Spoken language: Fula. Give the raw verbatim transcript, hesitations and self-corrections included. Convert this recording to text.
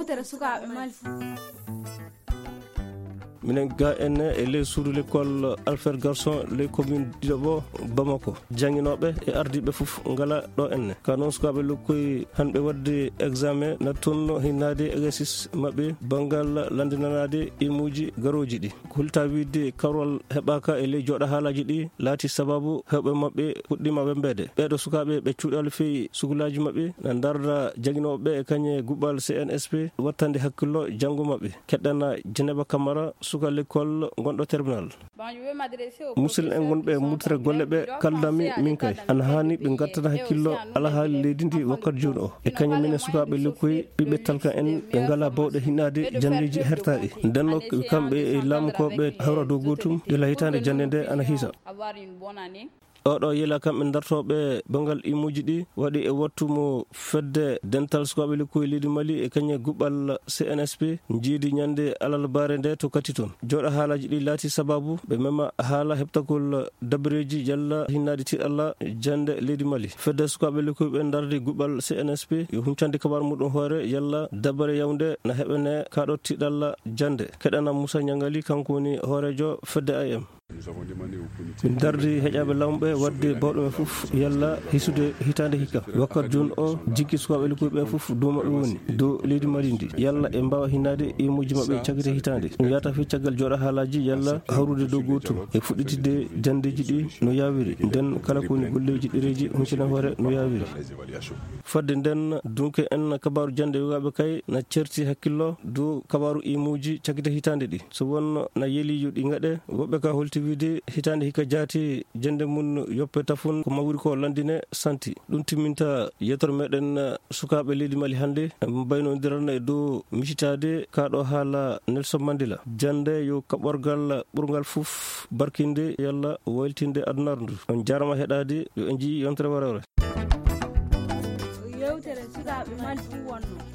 Tere sukaaɓe Mali. Minen ga enne e ley suudu l'école Alfred Garson, ley commune Diobo, Bamako. Jannginooɓe e ardiiɓe fof ngala ɗo enne. Ka noon sukaaɓe lokkoy hanɓe waɗde examen, nattunno hinnaade exercice maɓɓe banngal lanndinanaade ilmuuji garooji ɗi. Ko hulta wiide karwal heɓaaka e ley jooɗa haalaaji ɗi laati sababu heewɓe maɓɓe puɗɗiima wembeede. Ɓeeɗo sukaaɓe ɓe cuuɗaali feyi sugulaaji maɓɓe na ndarda jannginooɓe ɓe e kañe guɓɓal C N S P wattande hakkillo janngo maɓɓe. Keɗɗana Jeneba Kamara, suka l'école gonɗo terminal. Musidɓe en wonɓe e murtere golle ɓe, kaldami min kay ana haani ɓe ngattana hakkillo ala haali leydi ndi wakkati jooni o. E kañum minen sukaaɓe lekkoy, ɓiɓɓe talka en ɓe ngala bawɗe hinnaade janndeeji hertaaɗi. Nden nok kamɓe e laamukooɓe hawra dow gootum, gila hitaande jannde nde ana hiisa. Oɗo yela kamɓe dartooɓe banngal imuuji ɗi waɗi e wattu mo fedde dental sukaaɓe lekkoy leydi Mali e kañe guɓɓal C N S P njiidi ñande alarbaare nde to kati toon. Jooɗa haalaaji ɗi laati sababu ɓe mema haala heɓtagol dabareeji yalla hinnaade tiiɗalla jannde leydi Mali. Fedde sukaaɓe lekkoy ɓe ndardi guɓɓal C N S P yo huncande kabaar muɗum hoore yalla dabare yawnde na heɓene kaɗo tiiɗalla jannde. Keɗana Moussa Ñangali, kanko woni hooreejo fedde I M. Min dardi heƴaaɓe laamu ɓe waɗde bawɗo men fof yalla hisude hitaande hikka. Wakkati jooni o jikki sukaaɓe lekkoy ɓe fof dow maɓɓe woni, dow leydi Mali ndi, yalla ɓe mbaawa hinnaade imuuji maɓɓe cagite hitaande. Ɗum yahata fii caggal jooɗa haalaaji yalla hawrude dow gootum e fuɗɗitidde janndeeji ɗi no yaawiri. Nden kala ko woni golleeji ɗereeji huncina hoore no yaawiri. Fadde nden, dunke en kabaaru jannde yogaaɓe kay na certi hakkillo dow kabaaru imuuji cagite hitaande ɗi. So wonno na yeli yo ɗi ngaɗe, woɓɓe ka holti wiide hitaande hikka jaati jannde mum yoppe tafun ko mawri ko lanndine santi. Ɗum timminta yettoro meɗen sukaaɓe leydi Mali hannde, mbaynodirana e dow misitaade kaɗo haala Nelson Mandela. Jannde yo kaɓorgal ɓurngal fof barkinde yalla wayltinde adunaaru ndu. On jaarama heɗaade, yo en njii yontere warewre. Yewtere sukaaɓe Mali ɗum wonno.